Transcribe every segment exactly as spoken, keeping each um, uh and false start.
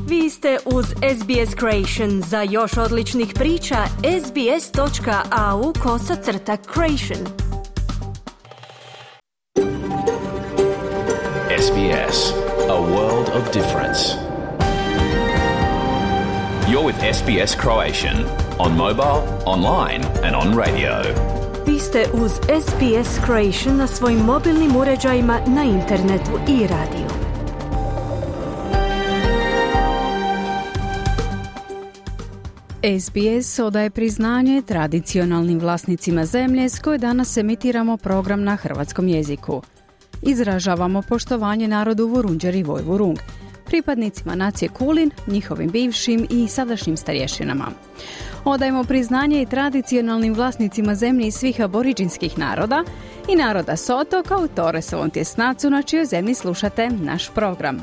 Vi ste uz S B S Creation. Za još odličnih priča, sbs.au kosacrta creation. S B S, a world of difference. You're with S B S Croatian on mobile, online and on radio. Vi ste uz S B S Creation na svojim mobilnim uređajima, na internetu i radiju. S B S odaje priznanje tradicionalnim vlasnicima zemlje s koje danas emitiramo program na hrvatskom jeziku. Izražavamo poštovanje narodu Vurundjeri Vojvurung, pripadnicima nacije Kulin, njihovim bivšim i sadašnjim starješinama. Odajemo priznanje i tradicionalnim vlasnicima zemlje iz svih aboriđinskih naroda i naroda Soto kao Toresovom tjesnacu na čijoj zemlji slušate naš program.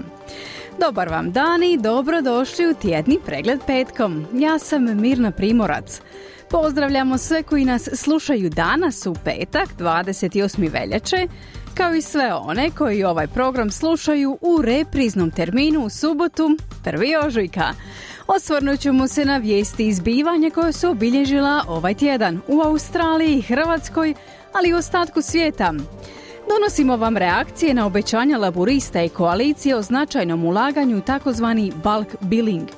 Dobar vam dan i dobrodošli u tjedni pregled petkom. Ja sam Mirna Primorac. Pozdravljamo sve koji nas slušaju danas u petak, dvadeset osme veljače, kao i sve one koji ovaj program slušaju u repriznom terminu u subotu, prvi ožujka. Osvrnut ćemo se na vijesti i zbivanja koje su obilježila ovaj tjedan u Australiji i Hrvatskoj, ali i u ostatku svijeta. Donosimo vam reakcije na obećanja laburista i koalicije o značajnom ulaganju u takozvani bulk billing.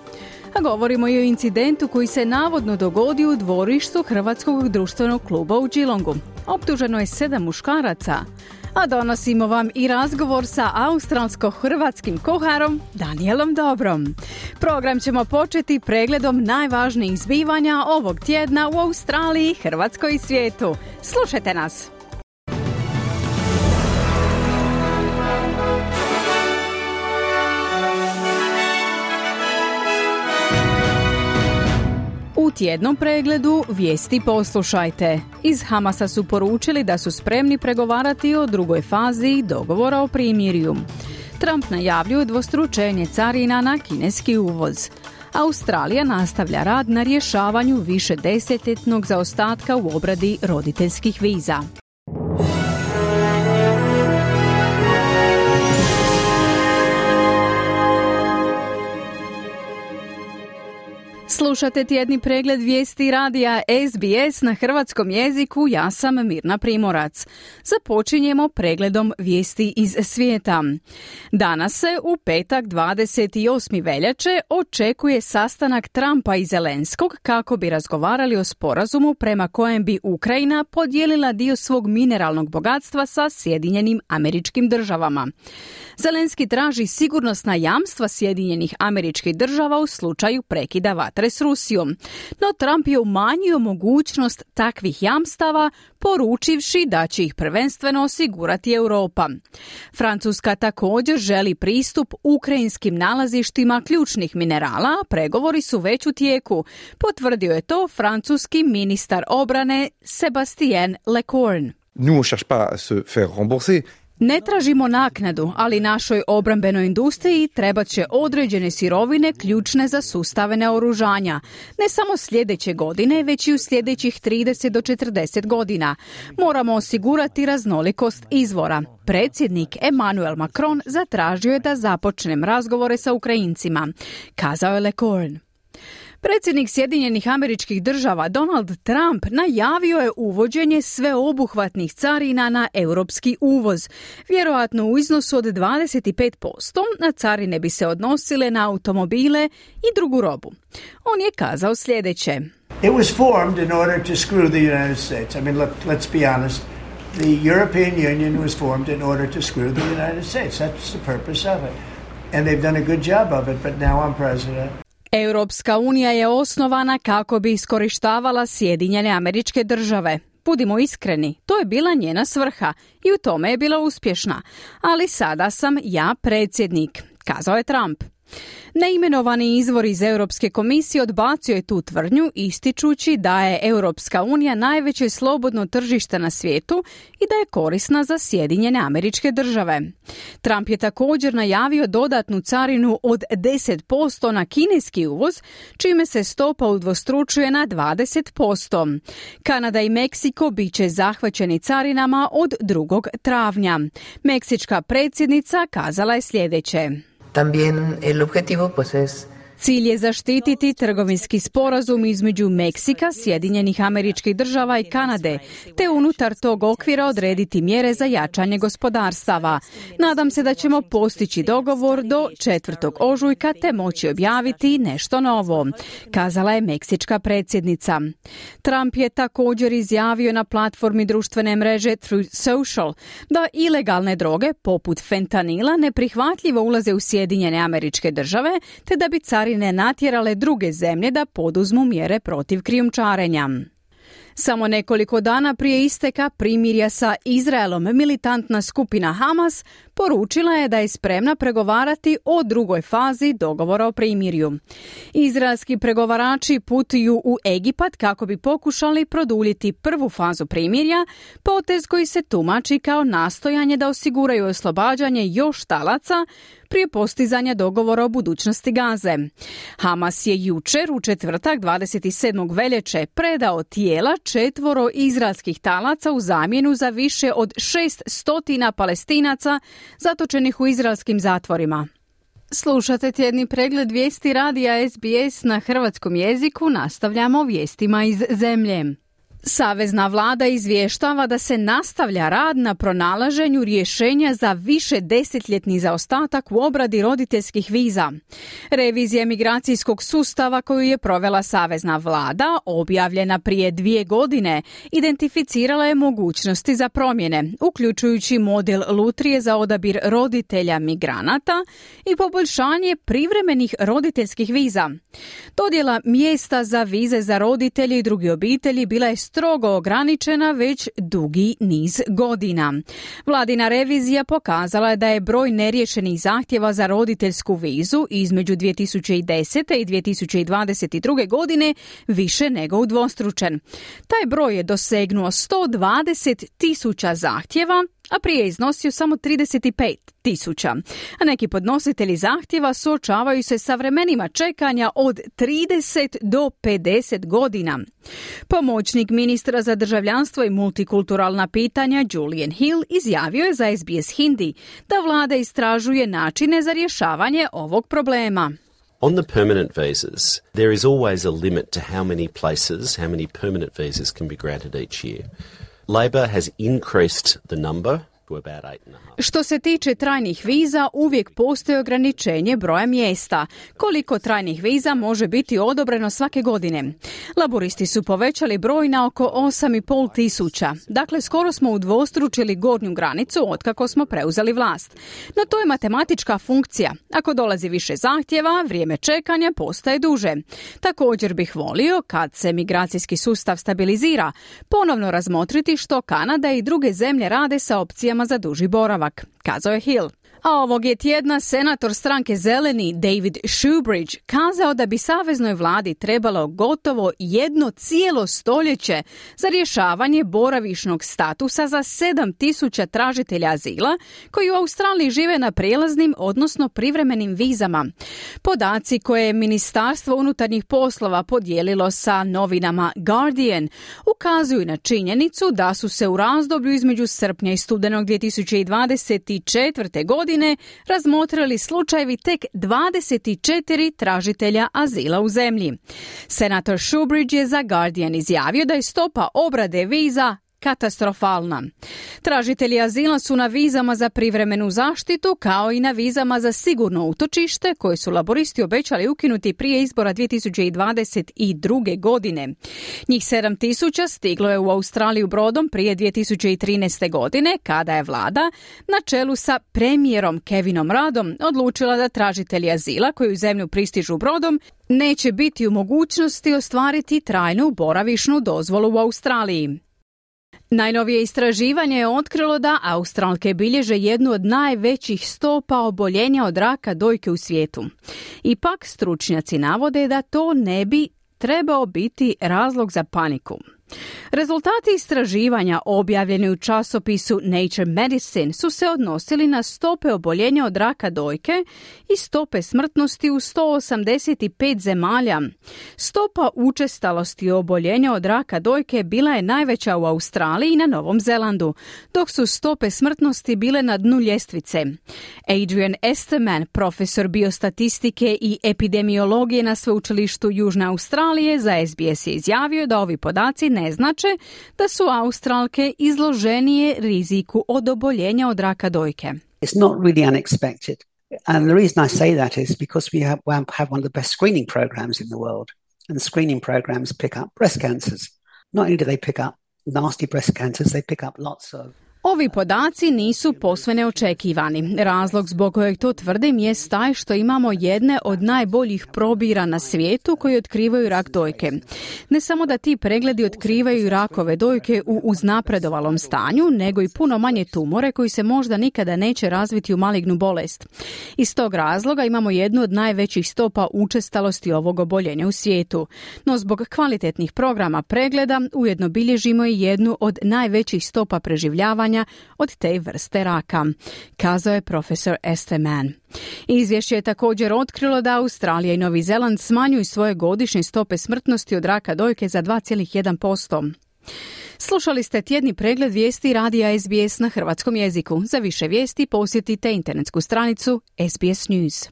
A govorimo i o incidentu koji se navodno dogodio u dvorištu Hrvatskog društvenog kluba u Geelongu. Optuženo je sedam muškaraca. A donosimo vam i razgovor sa australsko-hrvatskim kuharom Danielom Dobrom. Program ćemo početi pregledom najvažnijih zbivanja ovog tjedna u Australiji, Hrvatskoj i svijetu. Slušajte nas! U tjednom pregledu vijesti poslušajte. Iz Hamasa su poručili da su spremni pregovarati o drugoj fazi dogovora o primirju. Trump najavljuje dvostručenje carina na kineski uvoz. Australija nastavlja rad na rješavanju višedesetljetnog zaostatka u obradi roditeljskih viza. Slušate tjedni pregled vijesti radija S B S na hrvatskom jeziku, ja sam Mirna Primorac. Započinjemo pregledom vijesti iz svijeta. Danas se u petak dvadeset osme veljače očekuje sastanak Trumpa i Zelenskog kako bi razgovarali o sporazumu prema kojem bi Ukrajina podijelila dio svog mineralnog bogatstva sa Sjedinjenim Američkim Državama. Zelenski traži sigurnosna jamstva Sjedinjenih Američkih Država u slučaju prekida vatre s Rusijom, no Trump je umanjio mogućnost takvih jamstava, poručivši da će ih prvenstveno osigurati Europa. Francuska također želi pristup ukrajinskim nalazištima ključnih minerala, a pregovori su već u tijeku, potvrdio je to francuski ministar obrane Sébastien Lecornu. Nous on cherche pas à se faire rembourser. Ne tražimo naknadu, ali našoj obrambenoj industriji trebat će određene sirovine ključne za sustave naoružanja. Ne samo sljedeće godine, već i u sljedećih trideset do četrdeset godina. Moramo osigurati raznolikost izvora. Predsjednik Emmanuel Macron zatražio je da započnem razgovore sa Ukrajincima, kazao je Lecornu. Predsjednik Sjedinjenih Američkih Država Donald Trump najavio je uvođenje sveobuhvatnih carina na europski uvoz, vjerojatno u iznosu od dvadeset pet posto, a carine bi se odnosile na automobile i drugu robu. On je kazao sljedeće. It was formed in order to screw the United States. I mean, let, let's be honest. The European Union was formed in order to screw the United States. That's the purpose of it. And they've done a good job of it, but now I'm president. Europska unija je osnovana kako bi iskorištavala Sjedinjene Američke Države. Budimo iskreni, to je bila njena svrha i u tome je bila uspješna. Ali sada sam ja predsjednik, kazao je Trump. Neimenovani izvor iz Europske komisije odbacio je tu tvrdnju, ističući da je Europska unija najveće slobodno tržište na svijetu i da je korisna za Sjedinjene Američke Države. Trump je također najavio dodatnu carinu od deset posto na kineski uvoz, čime se stopa udvostručuje na dvadeset posto. Kanada i Meksiko bit će zahvaćeni carinama od drugog travnja. Meksička predsjednica kazala je sljedeće. También el objetivo pues es Cilj je zaštititi trgovinski sporazum između Meksika, Sjedinjenih Američkih Država i Kanade, te unutar tog okvira odrediti mjere za jačanje gospodarstava. Nadam se da ćemo postići dogovor do četvrtog ožujka te moći objaviti nešto novo, kazala je meksička predsjednica. Trump je također izjavio na platformi društvene mreže Truth Social da ilegalne droge poput fentanila neprihvatljivo ulaze u Sjedinjene Američke Države, te da bi carine natjerale druge zemlje da poduzmu mjere protiv krijumčarenja. Samo nekoliko dana prije isteka primirja sa Izraelom militantna skupina Hamas poručila je da je spremna pregovarati o drugoj fazi dogovora o primirju. Izraelski pregovarači putuju u Egipat kako bi pokušali produljiti prvu fazu primirja, potez koji se tumači kao nastojanje da osiguraju oslobađanje još talaca prije postizanja dogovora o budućnosti Gaze. Hamas je jučer u četvrtak dvadeset sedmog veljače predao tijela četvoro izraelskih talaca u zamjenu za više od šest stotina Palestinaca zatočenih u izraelskim zatvorima. Slušate tjedni pregled vijesti radija S B S na hrvatskom jeziku, nastavljamo vijestima iz zemlje. Savezna vlada izvještava da se nastavlja rad na pronalaženju rješenja za više desetljetni zaostatak u obradi roditeljskih viza. Revizija migracijskog sustava koju je provela Savezna vlada, objavljena prije dvije godine, identificirala je mogućnosti za promjene, uključujući model lutrije za odabir roditelja migranata i poboljšanje privremenih roditeljskih viza. Dodjela mjesta za vize za roditelje i druge obitelji bila je strogo ograničena već dugi niz godina. Vladina revizija pokazala je da je broj neriješenih zahtjeva za roditeljsku vizu između dvije tisuće desete i dvije tisuće dvadeset druge godine više nego udvostručen. Taj broj je dosegnuo sto dvadeset tisuća zahtjeva, a prije je iznosio samo trideset pet tisuća. A neki podnositelji zahtjeva suočavaju se sa vremenima čekanja od trideset do pedeset godina. Pomoćnik ministra za državljanstvo i multikulturalna pitanja Julian Hill izjavio je za S B S Hindi da vlada istražuje načine za rješavanje ovog problema. On the permanent visas, there is always a limit to how many places, how many permanent visas can be granted each year. Labor has increased the number. Što se tiče trajnih viza, uvijek postoji ograničenje broja mjesta. Koliko trajnih viza može biti odobreno svake godine? Laboristi su povećali broj na oko osam i pol tisuća. Dakle, skoro smo udvostručili gornju granicu otkako smo preuzeli vlast. No to je matematička funkcija. Ako dolazi više zahtjeva, vrijeme čekanja postaje duže. Također bih volio, kad se migracijski sustav stabilizira, ponovno razmotriti što Kanada i druge zemlje rade sa opcijama za duži boravak, kazao je Hill. A ovog je tjedna senator stranke Zeleni David Shoebridge kazao da bi saveznoj vladi trebalo gotovo jedno cijelo stoljeće za rješavanje boravišnog statusa za sedam tisuća tražitelja azila koji u Australiji žive na prijelaznim, odnosno privremenim vizama. Podaci koje je Ministarstvo unutarnjih poslova podijelilo sa novinama Guardian ukazuju na činjenicu da su se u razdoblju između srpnja i studenog dvije tisuće dvadeset četvrte godine razmotrili slučajevi tek dvadeset četiri tražitelja azila u zemlji. Senator Shoebridge je za Guardian izjavio da je stopa obrade viza katastrofalna. Tražitelji azila su na vizama za privremenu zaštitu kao i na vizama za sigurno utočište koje su laboristi obećali ukinuti prije izbora dvije tisuće dvadeset druge godine. Njih sedam tisuća stiglo je u Australiju brodom prije dvije tisuće trinaeste godine kada je vlada na čelu sa premijerom Kevinom Ruddom odlučila da tražitelji azila koji u zemlju pristižu brodom neće biti u mogućnosti ostvariti trajnu boravišnu dozvolu u Australiji. Najnovije istraživanje je otkrilo da Australke bilježe jednu od najvećih stopa oboljenja od raka dojke u svijetu. Ipak stručnjaci navode da to ne bi trebao biti razlog za paniku. Rezultati istraživanja objavljeni u časopisu Nature Medicine su se odnosili na stope oboljenja od raka dojke i stope smrtnosti u sto osamdeset pet zemalja. Stopa učestalosti oboljenja od raka dojke bila je najveća u Australiji i na Novom Zelandu, dok su stope smrtnosti bile na dnu ljestvice. Adrian Esterman, profesor biostatistike i epidemiologije na sveučilištu Južne Australije, za S B S je izjavio da ovi podaci ne znače da su Australke izloženije riziku od oboljenja od raka dojke. It's not really unexpected. And the reason I say that is because we have, have one of the best screening programs in the world. And screening programs pick up breast cancers. Not only do they pick up nasty breast cancers, they pick up lots of Ovi podaci nisu posve neočekivani. Razlog zbog kojeg to tvrdim jest taj što imamo jedne od najboljih probira na svijetu koji otkrivaju rak dojke. Ne samo da ti pregledi otkrivaju rakove dojke u uznapredovalom stanju, nego i puno manje tumore koji se možda nikada neće razviti u malignu bolest. Iz tog razloga imamo jednu od najvećih stopa učestalosti ovog oboljenja u svijetu. No zbog kvalitetnih programa pregleda ujedno bilježimo i jednu od najvećih stopa preživljavanja od te vrste raka, kazao je profesor Esterman. Izvješće je također otkrilo da Australija i Novi Zeland smanjuju svoje godišnje stope smrtnosti od raka dojke za dva zarez jedan posto. Slušali ste tjedni pregled vijesti radija S B S na hrvatskom jeziku. Za više vijesti posjetite internetsku stranicu S B S News.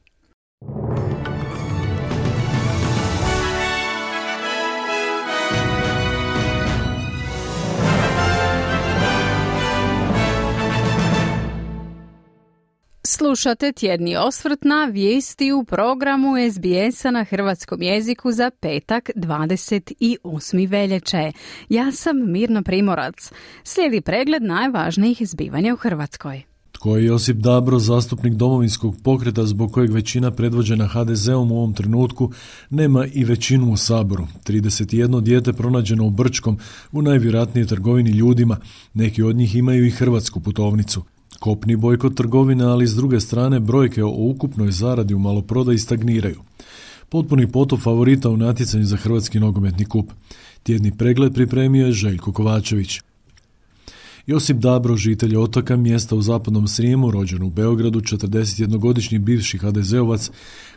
Slušate tjedni osvrt na vijesti u programu S B S-a na hrvatskom jeziku za petak dvadeset osmog veljače. Ja sam Mirna Primorac. Slijedi pregled najvažnijih zbivanja u Hrvatskoj. Tko je Josip Dabro, zastupnik Domovinskog pokreta zbog kojeg većina predvođena H D Z-om u ovom trenutku nema i većinu u Saboru? trideset jedno dijete pronađeno u Brčkom u najvjerojatnije trgovini ljudima. Neki od njih imaju i hrvatsku putovnicu. Kopni bojkot trgovine, ali s druge strane brojke o ukupnoj zaradi u maloprodaji stagniraju. Potpuni potop favorita u natjecanju za Hrvatski nogometni kup. Tjedni pregled pripremio je Željko Kovačević. Josip Dabro, žitelj Otoka, mjesta u Zapadnom Srijemu, rođen u Beogradu, četrdesetjednogodišnji bivši H D Z-ovac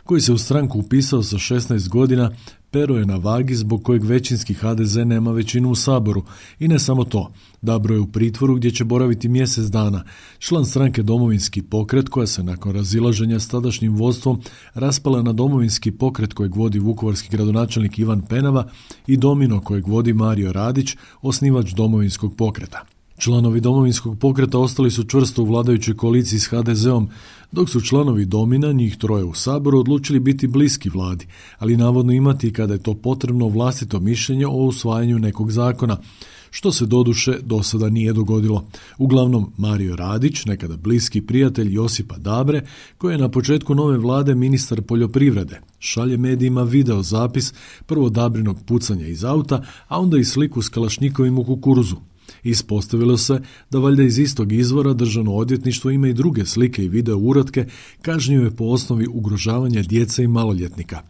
koji se u stranku upisao sa šesnaest godina, pero je na vagi zbog kojeg većinski H D Z nema većinu u Saboru. I ne samo to, Dabro je u pritvoru gdje će boraviti mjesec dana. Član stranke Domovinski pokret, koja se nakon razilaženja s tadašnjim vodstvom raspala na Domovinski pokret kojeg vodi vukovarski gradonačelnik Ivan Penava i Domino kojeg vodi Mario Radić, osnivač Domovinskog pokreta. Članovi Domovinskog pokreta ostali su čvrsto u vladajućoj koaliciji s H D Z-om, dok su članovi Domina, njih troje u Saboru, odlučili biti bliski vladi, ali navodno imati kada je to potrebno vlastito mišljenje o usvajanju nekog zakona, što se doduše do sada nije dogodilo. Uglavnom, Mario Radić, nekada bliski prijatelj Josipa Dabre, koji je na početku nove vlade ministar poljoprivrede, šalje medijima video zapis prvo Dabrinog pucanja iz auta, a onda i sliku s kalašnjikovim u kukuruzu. Ispostavilo se da valjda iz istog izvora Državno odvjetništvo ima i druge slike i video uratke kažnjive po osnovi ugrožavanja djece i maloljetnika.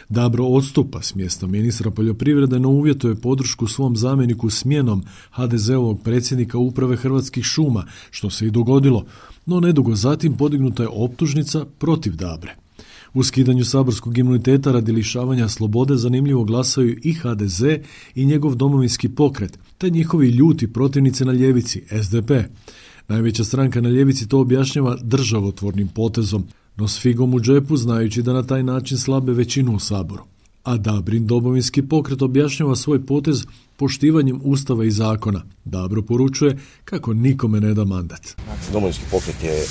Dabro odstupa s mjesta ministra poljoprivrede, no uvjetuje podršku svom zamjeniku smjenom H D Z-ovog predsjednika uprave Hrvatskih šuma, što se i dogodilo, no nedugo zatim podignuta je optužnica protiv Dabre. U skidanju saborskog imuniteta radi lišavanja slobode zanimljivo glasaju i H D Z i njegov Domovinski pokret, te njihovi ljuti protivnici na ljevici, S D P. Najveća stranka na ljevici to objašnjava državotvornim potezom, no s figom u džepu znajući da na taj način slabe većinu u Saboru. A Dabrin Domovinski pokret objašnjava svoj potez poštivanjem Ustava i zakona. Dabro poručuje kako nikome ne da mandat. Domovinski pokret je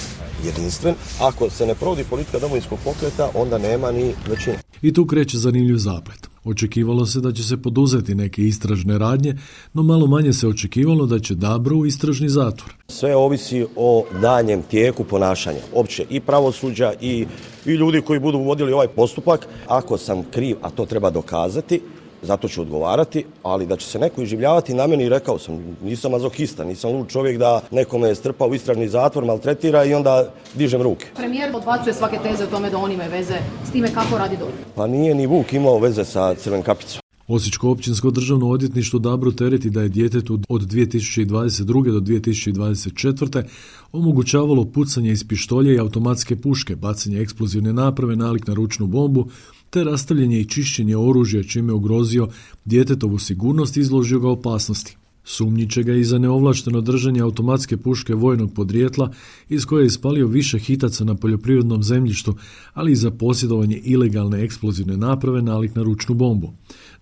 jedinstven. Ako se ne provodi politika Domovinskog pokreta, onda nema ni većine. I tu kreće zanimljiv zaplet. Očekivalo se da će se poduzeti neke istražne radnje, no malo manje se očekivalo da će Dabro u istražni zatvor. Sve ovisi o danjem tijeku ponašanja, opće i pravosuđa i, i ljudi koji budu vodili ovaj postupak. Ako sam kriv, a to treba dokazati, zato ću odgovarati, ali da će se neko iživljavati na meni, rekao sam, nisam mazohista, nisam lud čovjek da nekome strpa u istražni zatvor, maltretira i onda dižem ruke. Premijer odbacuje svake teze o tome da on ima veze s time kako radi D O R H. Pa nije ni Vuk imao veze sa Crvenom kapicom. Osječko općinsko državno odvjetništvo Dabru tereti da je djetetu od dvije tisuće dvadeset druge do dvije tisuće dvadeset četvrte omogućavalo pucanje iz pištolja i automatske puške, bacanje eksplozivne naprave nalik na ručnu bombu, te rastavljanje i čišćenje oružja čime je ugrozio djetetovu sigurnost i izložio ga opasnosti. Sumnjiče ga i za neovlašteno držanje automatske puške vojnog podrijetla iz koje je ispalio više hitaca na poljoprivrednom zemljištu, ali i za posjedovanje ilegalne eksplozivne naprave nalik na ručnu bombu.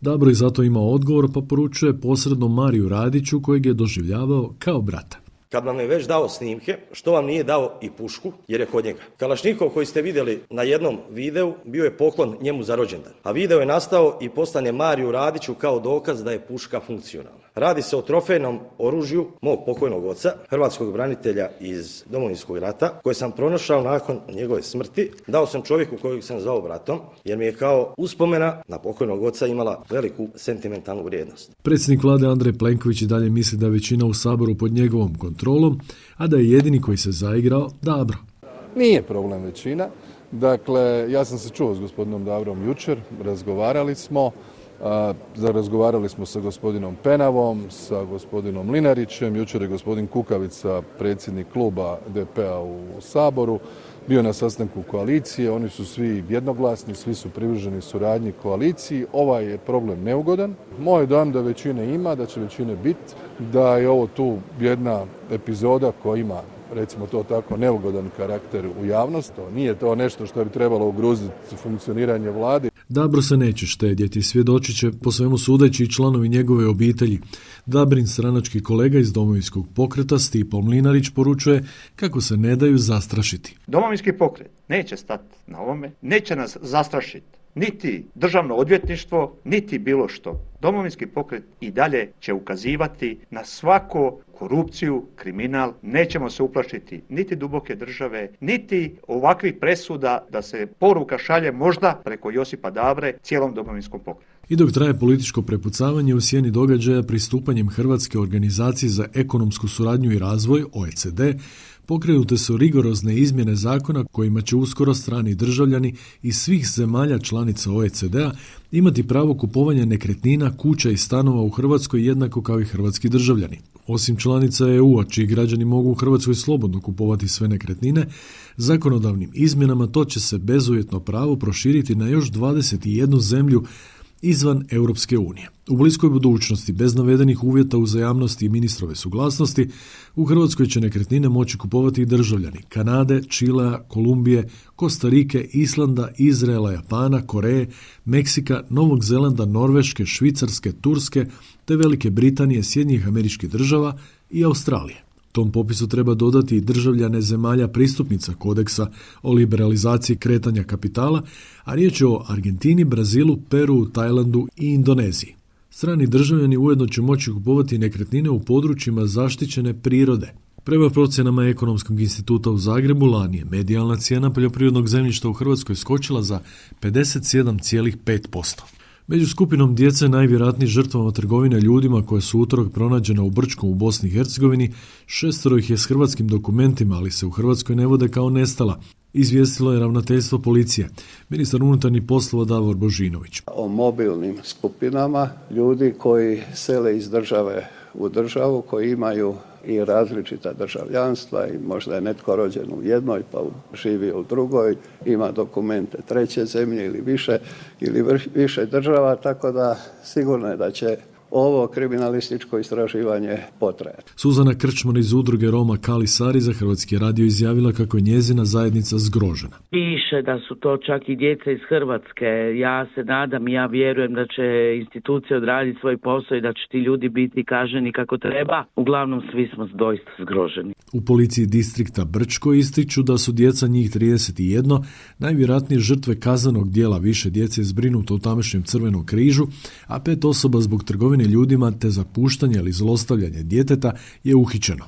Dabro je zato imao odgovor pa poručuje posredno Mariju Radiću kojeg je doživljavao kao brata. Kad vam je već dao snimke, što vam nije dao i pušku, jer je kod njega. Kalašnikov koji ste vidjeli na jednom videu bio je poklon njemu za rođendan, a video je nastao i poslan je Mariju Radiću kao dokaz da je puška funkcionalna. Radi se o trofejnom oružju mog pokojnog oca, hrvatskog branitelja iz Domovinskog rata, koje sam pronašao nakon njegove smrti. Dao sam čovjeku kojeg sam zvao bratom, jer mi je kao uspomena na pokojnog oca imala veliku sentimentalnu vrijednost. Predsjednik vlade Andrej Plenković i dalje misli da je većina u Saboru pod njegovom kontrolom, a da je jedini koji se zaigrao Dabro. Nije problem većina. Dakle, ja sam se čuo s gospodinom Dabrom jučer, razgovarali smo. Razgovarali smo sa gospodinom Penavom, sa gospodinom Linarićem, jučer je gospodin Kukavica, predsjednik kluba D P-a u Saboru, bio na sastanku koalicije, oni su svi jednoglasni, svi su privrženi suradnji koaliciji, ovaj je problem neugodan. Moj dojam da većine ima, da će većine biti, da je ovo tu jedna epizoda koja ima, recimo to tako, neugodan karakter u javnosti. Nije to nešto što bi trebalo ugroziti funkcioniranje vlade. Dabro se neće štedjeti, svjedočit će po svemu sudeći i članovi njegove obitelji. Dabrin stranački kolega iz Domovinskog pokreta Stipo Mlinarić poručuje kako se ne daju zastrašiti. Domovinski pokret neće stati na ovome, neće nas zastrašiti. Niti državno odvjetništvo, niti bilo što. Domovinski pokret i dalje će ukazivati na svako korupciju, kriminal, nećemo se uplašiti niti duboke države, niti ovakvih presuda da se poruka šalje možda preko Josipa Dabre cijelom domovinskom pokretu. I dok traje političko prepucavanje u sjeni događaja pristupanjem Hrvatske organizaciji za ekonomsku suradnju i razvoj, O E C D, pokrenute su rigorozne izmjene zakona kojima će uskoro strani državljani iz svih zemalja članica O E C D-a imati pravo kupovanja nekretnina, kuća i stanova u Hrvatskoj jednako kao i hrvatski državljani. Osim članica E U-a, čiji građani mogu u Hrvatskoj slobodno kupovati sve nekretnine, zakonodavnim izmjenama to će se bezuvjetno pravo proširiti na još dvadeset jednu zemlju izvan Europske unije. U bliskoj budućnosti, bez navedenih uvjeta uzajamnosti i ministrove suglasnosti, u Hrvatskoj će nekretnine moći kupovati i državljani Kanade, Čilea, Kolumbije, Kostarike, Islanda, Izraela, Japana, Koreje, Meksika, Novog Zelanda, Norveške, Švicarske, Turske, te Velike Britanije, Sjedinjenih Američkih Država i Australije. Tom popisu treba dodati i državljane zemalja pristupnica kodeksa o liberalizaciji kretanja kapitala, a riječ je o Argentini, Brazilu, Peru, Tajlandu i Indoneziji. Strani državljani ujedno će moći kupovati nekretnine u područjima zaštićene prirode. Prema procjenama Ekonomskog instituta u Zagrebu, lani je medijalna cijena poljoprivrednog zemljišta u Hrvatskoj skočila za pedeset sedam zarez pet posto. Među skupinom djece najvjerojatniji žrtvama trgovine ljudima koje su utorak pronađena u Brčkom u Bosni i Hercegovini, šestero ih je s hrvatskim dokumentima, ali se u Hrvatskoj ne vode kao nestala, izvijestilo je ravnateljstvo policije. Ministar unutarnjih poslova Davor Božinović. O mobilnim skupinama ljudi koji sele iz države u državu, koji imaju i različita državljanstva i možda je netko rođen u jednoj pa živi u drugoj, ima dokumente treće zemlje ili više ili više država, tako da sigurno je da će ovo kriminalističko istraživanje potrajati. Suzana Krčman iz udruge Roma Kali Sari za Hrvatski radio izjavila kako je njezina zajednica zgrožena. Piše da su to čak i djeca iz Hrvatske. Ja se nadam i ja vjerujem da će institucije odraditi svoj posao i da će ti ljudi biti kažnjeni kako treba. Uglavnom svi smo doista zgroženi. U policiji distrikta Brčko ističu da su djeca, njih trideset jedan, najvjerojatnije žrtve kaznenog djela. Više djece je zbrinuto u tamošnjem Crvenom križu, a pet osoba zbog trgovine ljudima te zapuštanje ili zlostavljanje djeteta je uhićeno.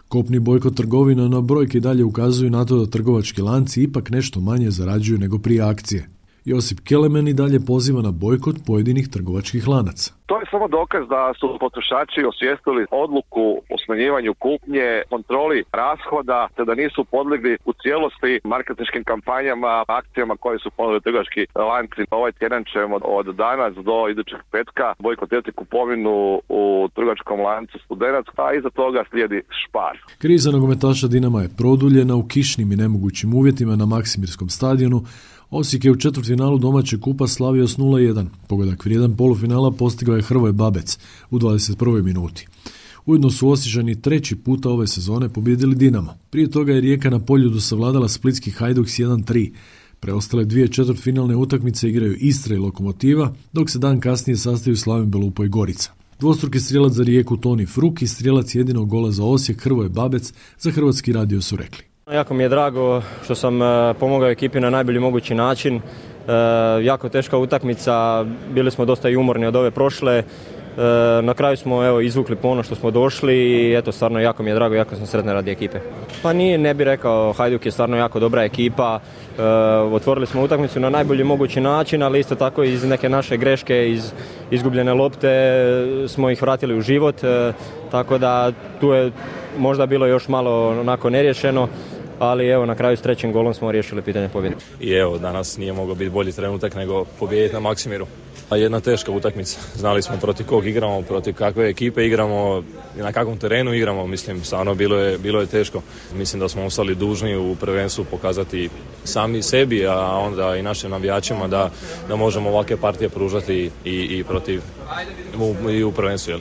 Kopni bojkot trgovina, no brojke dalje ukazuju na to da trgovački lanci ipak nešto manje zarađuju nego prije akcije. Josip Kelemen i dalje poziva na bojkot pojedinih trgovačkih lanaca. To je samo dokaz da su potrošači osvijestili odluku o smanjivanju kupnje, kontroli rashoda, te da nisu podlegli u cijelosti marketinškim kampanjama, akcijama koje su ponudili trgovački lanci. Ovaj tjedan ćemo od danas do idućeg petka bojkotirati kupovinu u trgovačkom lancu Studenac, a iza toga slijedi Spar. Kriza nogometaša Dinama je produljena u kišnim i nemogućim uvjetima na Maksimirskom stadionu. Osijek je u četvrtfinalu domaćeg kupa slavio s nula jedan. Pogodak vrijedan polufinala postigao je Hrvoje Babec u dvadeset prvoj minuti. Ujedno su Osječani treći puta ove sezone pobijedili Dinamo. Prije toga je Rijeka na Poljudu savladala splitski Hajduk s jedan tri. Preostale dvije četvrtfinalne utakmice igraju Istra i Lokomotiva, dok se dan kasnije sastaju Slaven Belupo i Gorica. Dvostruki strijelac za Rijeku Toni Fruk i strijelac jedinog gola za Osijek Hrvoje Babec za Hrvatski radio su rekli. Jako mi je drago što sam pomogao ekipi na najbolji mogući način. E, jako teška utakmica, bili smo dosta i umorni od ove prošle. E, na kraju smo evo izvukli po ono što smo došli i eto stvarno jako mi je drago, jako sam sretan radi ekipe. Pa nije, ne bih rekao, Hajduk je stvarno jako dobra ekipa. E, otvorili smo utakmicu na najbolji mogući način, ali isto tako iz neke naše greške, iz izgubljene lopte smo ih vratili u život. E, tako da tu je možda bilo još malo onako neriješeno. Ali evo na kraju s trećim golom smo riješili pitanje pobjede. I evo danas nije mogao biti bolji trenutak nego pobijediti na Maksimiru. A jedna teška utakmica. Znali smo protiv kog igramo, protiv kakve ekipe igramo, na kakvom terenu igramo. Mislim, stvarno bilo je, bilo je teško. Mislim da smo ostali dužni u prvenstvu pokazati sami sebi, a onda i našim navijačima da, da možemo ovakve partije pružati i, i protiv u, i u prvenstvu. Jel?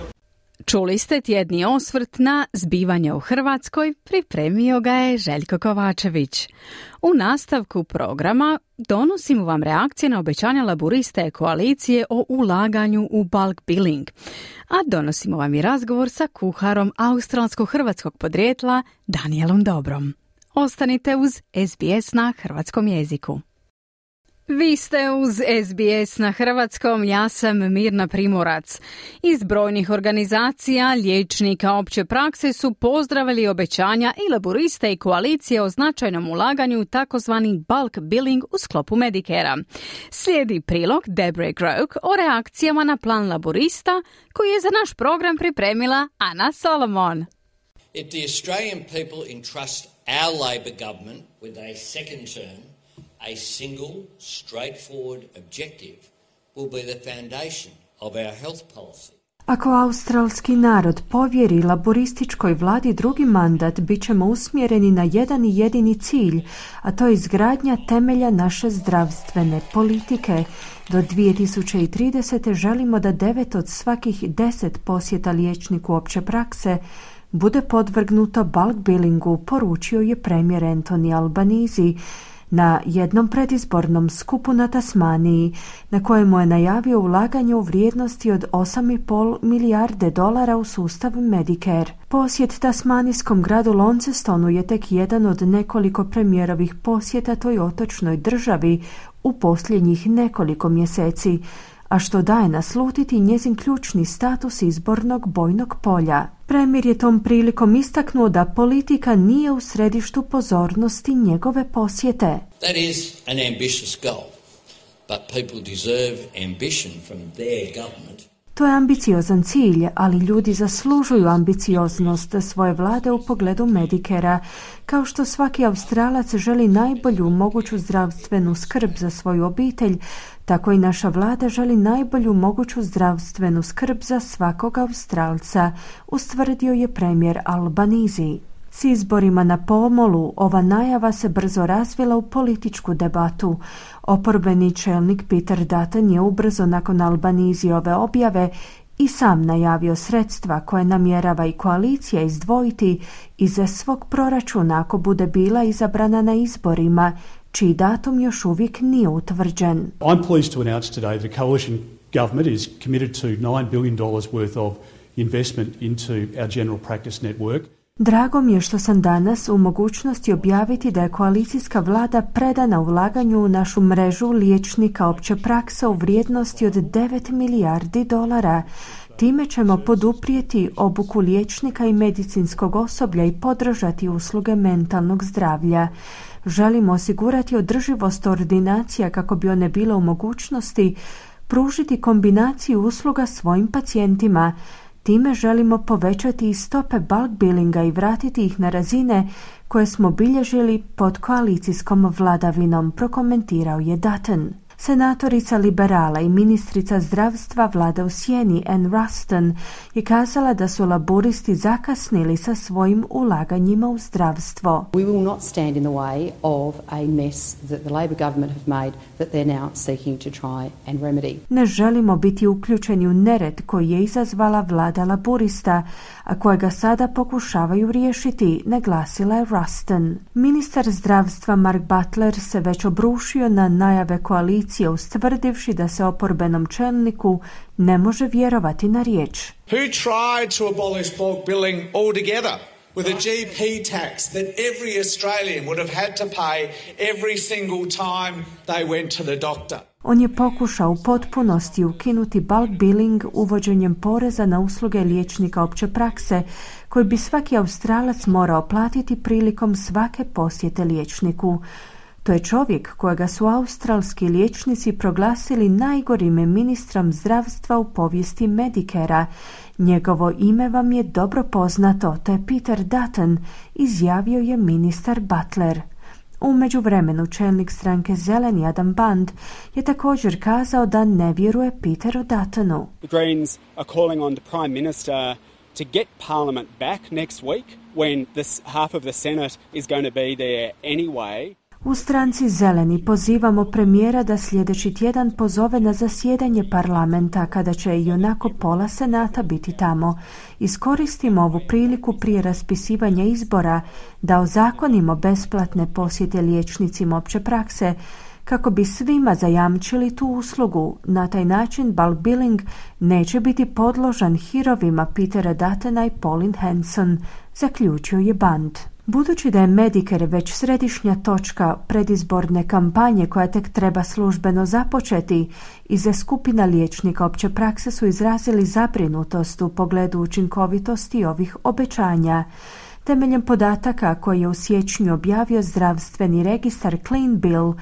Čuli ste tjedni osvrt na zbivanje u Hrvatskoj, pripremio ga je Željko Kovačević. U nastavku programa donosimo vam reakcije na obećanja laburiste koalicije o ulaganju u bulk billing, a donosimo vam i razgovor sa kuharom australsko-hrvatskog podrijetla Danielom Dobrom. Ostanite uz S B S na hrvatskom jeziku. Vi ste uz S B S na hrvatskom, ja sam Mirna Primorac. Iz brojnih organizacija, liječnika opće prakse su pozdravili obećanja i laburiste i koalicije o značajnom ulaganju u takozvani bulk billing u sklopu Medicare-a. Slijedi prilog Deborah Groke o reakcijama na plan laburista koji je za naš program pripremila Ana Solomon. If the Australian people entrust our Labor government with a second term, a single, straightforward objective will be the foundation of our health policy. Ako australski narod povjeri laborističkoj vladi drugi mandat, bit ćemo usmjereni na jedan i jedini cilj, a to je izgradnja temelja naše zdravstvene politike. Do dvije tisuće tridesete. želimo da devet od svakih deset posjeta liječniku opće prakse bude podvrgnuto bulk billingu, poručio je premijer Anthony Albanese na jednom predizbornom skupu na Tasmaniji, na kojemu je najavio ulaganje u vrijednosti od osam i pol milijarde dolara u sustav Medicare. Posjet tasmanijskom gradu Launcestonu je tek jedan od nekoliko premijerovih posjeta toj otočnoj državi u posljednjih nekoliko mjeseci, a što daje naslutiti njezin ključni status izbornog bojnog polja. Premijer je tom prilikom istaknuo da politika nije u središtu pozornosti njegove posjete. That is an ambitious goal, but people deserve ambition from their government. To je ambiciozan cilj, ali ljudi zaslužuju ambicioznost svoje vlade u pogledu Medicare-a. Kao što svaki Australac želi najbolju moguću zdravstvenu skrb za svoju obitelj, tako i naša vlada želi najbolju moguću zdravstvenu skrb za svakog Australca, ustvrdio je premijer Albanese. S izborima na pomolu, ova najava se brzo razvila u političku debatu. Oporbeni čelnik Peter Dutton je ubrzo nakon Albaneseove objave i sam najavio sredstva koje namjerava i koalicija izdvojiti iz svog proračuna ako bude bila izabrana na izborima, čiji datum još uvijek nije utvrđen. I'm pleased to announce today the coalition government is committed to nine billion dollars worth of investment into our general practice network. Drago mi je što sam danas u mogućnosti objaviti da je koalicijska vlada predana ulaganju u našu mrežu liječnika opće prakse u vrijednosti od devet milijardi dolara. Time ćemo poduprijeti obuku liječnika i medicinskog osoblja i podržati usluge mentalnog zdravlja. Želimo osigurati održivost ordinacija kako bi one bile u mogućnosti pružiti kombinaciju usluga svojim pacijentima. Time želimo povećati i stope bulk billinga i vratiti ih na razine koje smo bilježili pod koalicijskom vladavinom, prokomentirao je Dutton. Senatorica liberala i ministrica zdravstva vlada u sjeni Ann Ruston je kazala da su laburisti zakasnili sa svojim ulaganjima u zdravstvo. We will not stand in the way of a mess that the Labor government have made that they're now seeking to try and remedy. Ne želimo biti uključeni u nered koji je izazvala vlada laburista, a kojega sada pokušavaju riješiti, naglasila je Ruston. Ministar zdravstva Mark Butler se već obrušio na najave koalicije ustvrdivši da se oporbenom čelniku ne može vjerovati na riječ. Who tried to abolish bulk billing altogether with a G P tax that every Australian would have had to pay every single time they went to the doctor? On je pokušao u potpunosti ukinuti bulk billing uvođenjem poreza na usluge liječnika opće prakse koji bi svaki Australac morao platiti prilikom svake posjete liječniku. To je čovjek kojega su australski liječnici proglasili najgorim ministrom zdravstva u povijesti Medicare-a. Njegovo ime vam je dobro poznato, to je Peter Dutton, izjavio je ministar Butler. U međuvremenu čelnik stranke Zeleni Adam Band je također kazao da ne vjeruje Peteru Duttonu. The Greens are calling on the Prime Minister to get Parliament back next week when this half of the Senate is going to be there anyway. U stranci Zeleni pozivamo premijera da sljedeći tjedan pozove na zasjedanje parlamenta kada će i onako pola senata biti tamo. Iskoristimo ovu priliku prije raspisivanja izbora da ozakonimo besplatne posjete liječnicima opće prakse kako bi svima zajamčili tu uslugu. Na taj način bulk billing neće biti podložan hirovima Petera Duttona i Pauline Hanson, zaključio je Band. Budući da je Medicare već središnja točka predizborne kampanje koja tek treba službeno započeti, iza skupina liječnika opće prakse su izrazili zabrinutost u pogledu učinkovitosti ovih obećanja. Temeljem podataka koje je u siječnju objavio zdravstveni registar Clean Bill,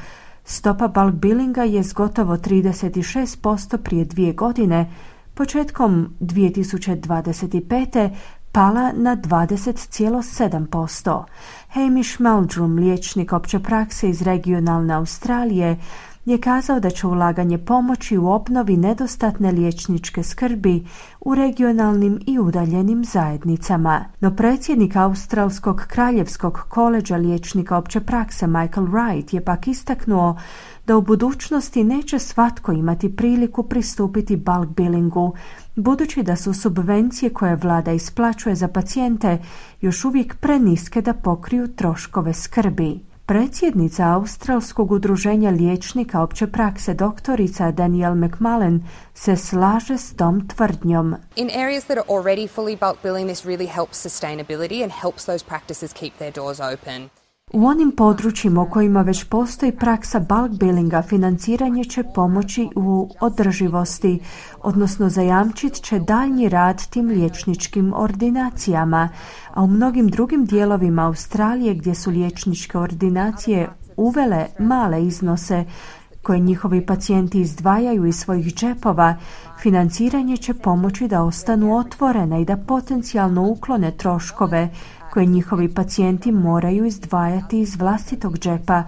stopa bulk billinga je s gotovo trideset šest posto prije dvije godine, početkom dvije tisuće dvadeset pete pala na dvadeset zarez sedam posto. Hamish Meldrum, liječnik opće prakse iz regionalne Australije, je kazao da će ulaganje pomoći u obnovi nedostatne liječničke skrbi u regionalnim i udaljenim zajednicama. No predsjednik Australskog kraljevskog koleđa liječnika opće prakse Michael Wright je pak istaknuo da u budućnosti neće svatko imati priliku pristupiti bulk billingu, budući da su subvencije koje vlada isplaćuje za pacijente još uvijek preniske da pokriju troškove skrbi. Predsjednica Australskog udruženja liječnika opće prakse doktorica Danielle McMullen se slaže s tom tvrdnjom. In areas that are already fully bulk billing, this really helps sustainability and helps those practices keep their doors open. U onim područjima u kojima već postoji praksa bulk billinga, financiranje će pomoći u održivosti, odnosno zajamčit će daljnji rad tim liječničkim ordinacijama, a u mnogim drugim dijelovima Australije gdje su liječničke ordinacije uvele male iznose koje njihovi pacijenti izdvajaju iz svojih džepova, financiranje će pomoći da ostanu otvorene i da potencijalno uklone troškove koje njihovi pacijenti moraju izdvajati iz vlastitog džepa,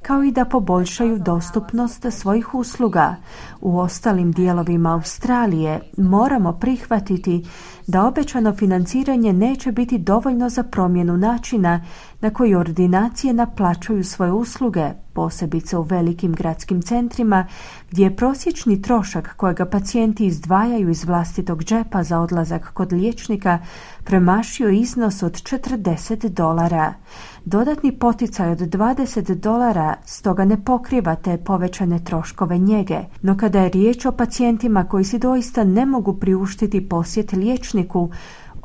kao i da poboljšaju dostupnost svojih usluga. U ostalim dijelovima Australije moramo prihvatiti da obećano financiranje neće biti dovoljno za promjenu načina na koji ordinacije naplaćuju svoje usluge, posebice u velikim gradskim centrima gdje je prosječni trošak kojega pacijenti izdvajaju iz vlastitog džepa za odlazak kod liječnika premašio iznos od četrdeset dolara. Dodatni poticaj od dvadeset dolara stoga ne pokriva te povećane troškove njege, no kada je riječ o pacijentima koji si doista ne mogu priuštiti posjet liječniku,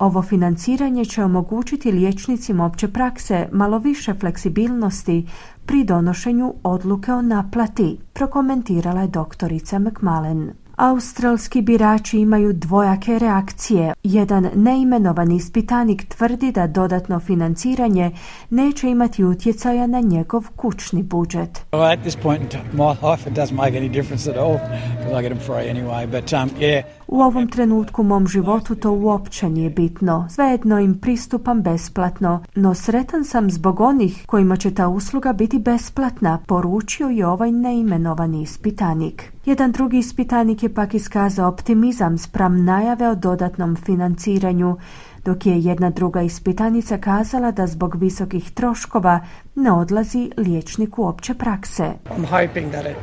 Ovo financiranje će omogućiti liječnicima opće prakse malo više fleksibilnosti pri donošenju odluke o naplati, prokomentirala je doktorica McMullen. Australski birači imaju dvojake reakcije. Jedan neimenovani ispitanik tvrdi da dodatno financiranje neće imati utjecaja na njegov kućni budžet. Well, at this point in my life it doesn't make any difference at all because I get them free anyway, but um, yeah. U ovom trenutku u mom životu to uopće nije bitno. Svejedno im pristupam besplatno, no sretan sam zbog onih kojima će ta usluga biti besplatna, poručio je ovaj neimenovani ispitanik. Jedan drugi ispitanik je pak iskazao optimizam spram najave o dodatnom financiranju, dok je jedna druga ispitanica kazala da zbog visokih troškova ne odlazi liječniku opće prakse. I'm hoping that it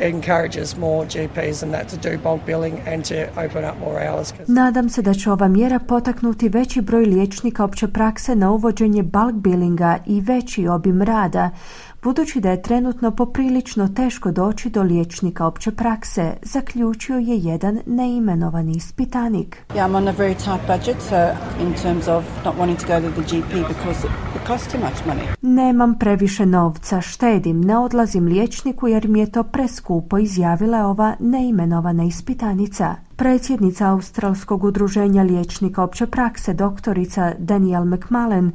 encourages more G Ps and that to do bulk billing and to open up more hours. Nadam se da će ova mjera potaknuti veći broj liječnika opće prakse na uvođenje bulk billinga i veći obim rada, budući da je trenutno poprilično teško doći do liječnika opće prakse, zaključio je jedan neimenovani ispitanik. Yeah, I'm on a very tight budget, so in terms of not wanting to go to the G P because it costs too much money. Nemam previše novca, štedim, ne odlazim liječniku jer mi je to preskupo, izjavila je ova neimenovana ispitanica. Predsjednica Australskog udruženja liječnika opće prakse, doktorica Danielle McMullen,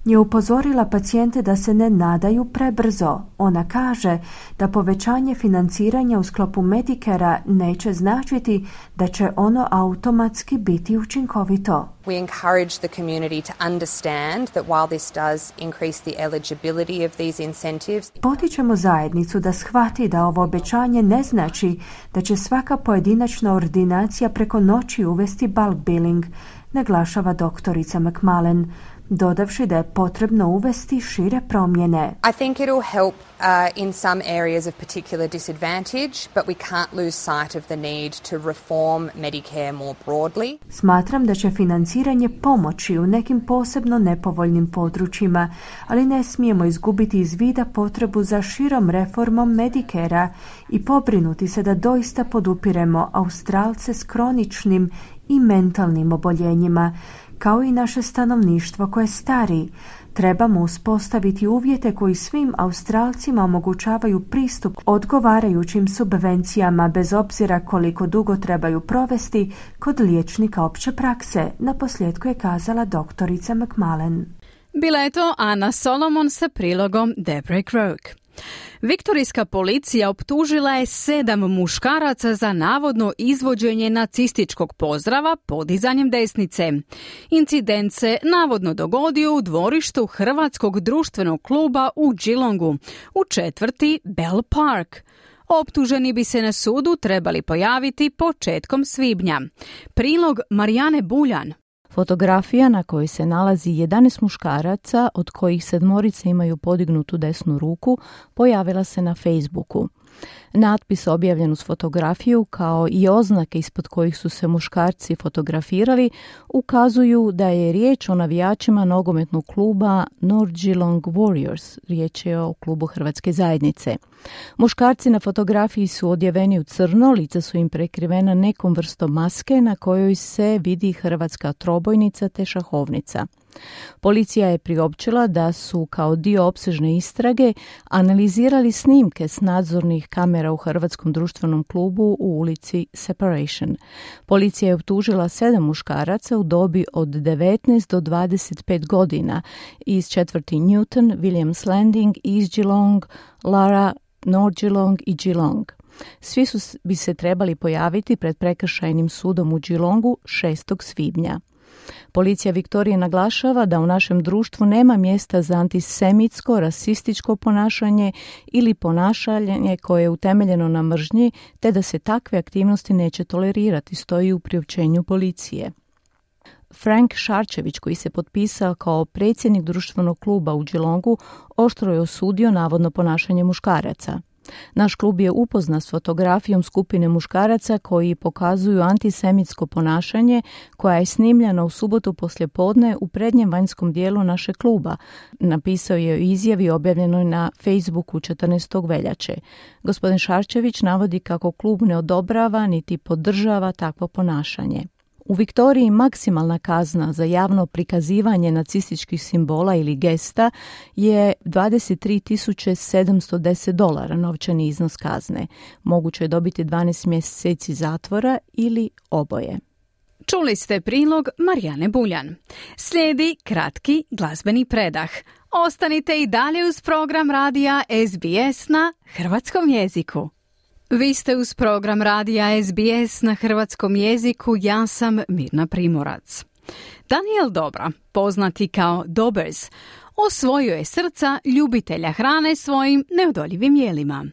je upozorila pacijente da se ne nadaju prebrzo. Ona kaže da povećanje financiranja u sklopu Medicarea neće značiti da će ono automatski biti učinkovito. We encourage the community to understand that while this does increase the eligibility of these incentives, potičemo zajednicu da shvati da ovo obećanje ne znači da će svaka pojedinačna ordinacija preko noći uvesti bulk billing, naglašava doktorica McMullen, dodavši da je potrebno uvesti šire promjene. I think it'll help uh, in some areas of particular disadvantage, but we can't lose sight of the need to reform Medicare more broadly. Smatram da će financiranje pomoći u nekim posebno nepovoljnim područjima, ali ne smijemo izgubiti iz vida potrebu za širom reformom Medicarea i pobrinuti se da doista podupiremo Australce s kroničnim i mentalnim oboljenjima, kao i naše stanovništvo koje stari. Trebamo uspostaviti uvjete koji svim Australcima omogućavaju pristup odgovarajućim subvencijama bez obzira koliko dugo trebaju provesti kod liječnika opće prakse, naposljetku je kazala doktorica McMullen. Bila je to Ana Solomon sa prilogom Deborah Croak. Viktorijska policija optužila je sedam muškaraca za navodno izvođenje nacističkog pozdrava podizanjem desnice. Incident se navodno dogodio u dvorištu Hrvatskog društvenog kluba u Geelongu, u četvrti Bell Park. Optuženi bi se na sudu trebali pojaviti početkom svibnja. Prilog Marijane Buljan. Fotografija na kojoj se nalazi jedanaest muškaraca, od kojih sedmorice imaju podignutu desnu ruku, pojavila se na Facebooku. Natpis objavljen uz fotografiju, kao i oznake ispod kojih su se muškarci fotografirali, ukazuju da je riječ o navijačima nogometnog kluba North Geelong Warriors. Riječ je o klubu Hrvatske zajednice. Muškarci na fotografiji su odjeveni u crno, lica su im prekrivena nekom vrstom maske na kojoj se vidi hrvatska trobojnica te šahovnica. Policija je priopćila da su kao dio opsežne istrage analizirali snimke s nadzornih kamera u Hrvatskom društvenom klubu u ulici Separation. Policija je optužila sedam muškaraca u dobi od devetnaest do dvadeset pet godina iz četvrti Newton, Williams Landing, East Geelong, Lara, North Geelong i Geelong. Svi su bi se trebali pojaviti pred prekršajnim sudom u Geelongu šestog svibnja. Policija Viktorije naglašava da u našem društvu nema mjesta za antisemitsko, rasističko ponašanje ili ponašanje koje je utemeljeno na mržnji, te da se takve aktivnosti neće tolerirati, stoji u priopćenju policije. Frank Šarčević, koji se potpisao kao predsjednik društvenog kluba u Geelongu, oštro je osudio navodno ponašanje muškaraca. Naš klub je upoznat s fotografijom skupine muškaraca koji pokazuju antisemitsko ponašanje koja je snimljena u subotu poslijepodne u prednjem vanjskom dijelu našeg kluba, napisao je u izjavi objavljenoj na Facebooku četrnaestog veljače. Gospodin Šarčević navodi kako klub ne odobrava niti podržava takvo ponašanje. U Viktoriji maksimalna kazna za javno prikazivanje nacističkih simbola ili gesta je dvadeset tri tisuće sedamsto deset dolara novčani iznos kazne. Moguće je dobiti dvanaest mjeseci zatvora ili oboje. Čuli ste prilog Marijane Buljan. Slijedi kratki glazbeni predah. Ostanite i dalje uz program radija S B S na hrvatskom jeziku. Vi ste uz program radija S B S na hrvatskom jeziku, ja sam Mirna Primorac. Daniel Dobra, poznati kao Dobbers, osvojio je srca ljubitelja hrane svojim neodoljivim jelima.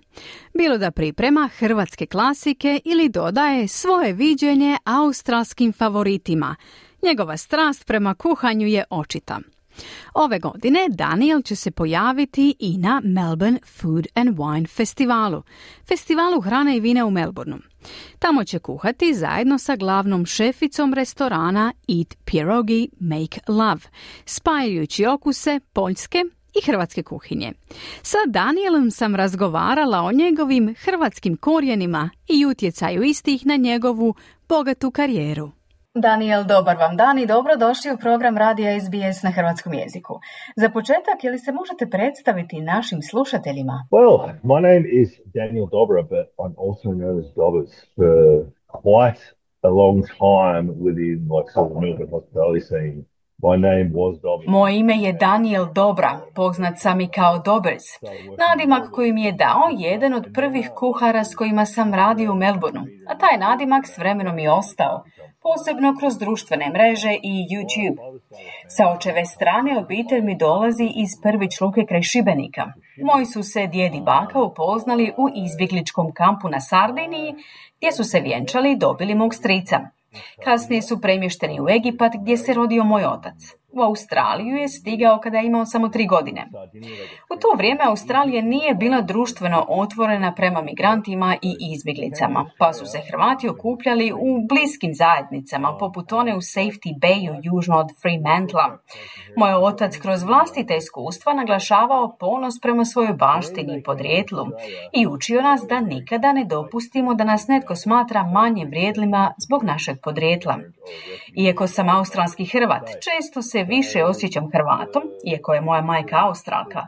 Bilo da priprema hrvatske klasike ili dodaje svoje viđenje australskim favoritima, njegova strast prema kuhanju je očita. Ove godine Daniel će se pojaviti i na Melbourne Food and Wine festivalu, festivalu hrane i vina u Melbourneu. Tamo će kuhati zajedno sa glavnom šeficom restorana Eat Pierogi Make Love, spajajući okuse poljske i hrvatske kuhinje. Sa Danielom sam razgovarala o njegovim hrvatskim korijenima i utjecaju istih na njegovu bogatu karijeru. Daniel, dobar vam dan i dobrodošli u program radija S B S na hrvatskom jeziku. Za početak, je li se možete predstaviti našim slušateljima? Well, my name is Daniel Dobra, but I'm also known as Dobbers for quite a long time within like sort of Melbourne hospitality scene. My name was Dobbers. Moje ime je Daniel Dobra, poznat sam i kao Dobbers. Nadimak koji mi je dao jedan od prvih kuhara s kojima sam radio u Melbourneu, a taj nadimak s vremenom je ostao, posebno kroz društvene mreže i YouTube. Sa očeve strane obitelj mi dolazi iz Prvić Luke kraj Šibenika. Moji su se djed i baka upoznali u izbjegličkom kampu na Sardiniji, gdje su se vjenčali i dobili mog strica. Kasnije su premješteni u Egipat, gdje se rodio moj otac. U Australiju je stigao kada je imao samo tri godine. U to vrijeme Australija nije bila društveno otvorena prema migrantima i izbjeglicama, pa su se Hrvati okupljali u bliskim zajednicama, poput one u Safety Bayu južno od Fremantla. Moj otac kroz vlastite iskustva naglašavao ponos prema svojoj baštini i podrijetlu i učio nas da nikada ne dopustimo da nas netko smatra manje vrijedlima zbog našeg podrijetla. Iako sam australski Hrvat, često se više osjećam Hrvatom, iako je moja majka Australka,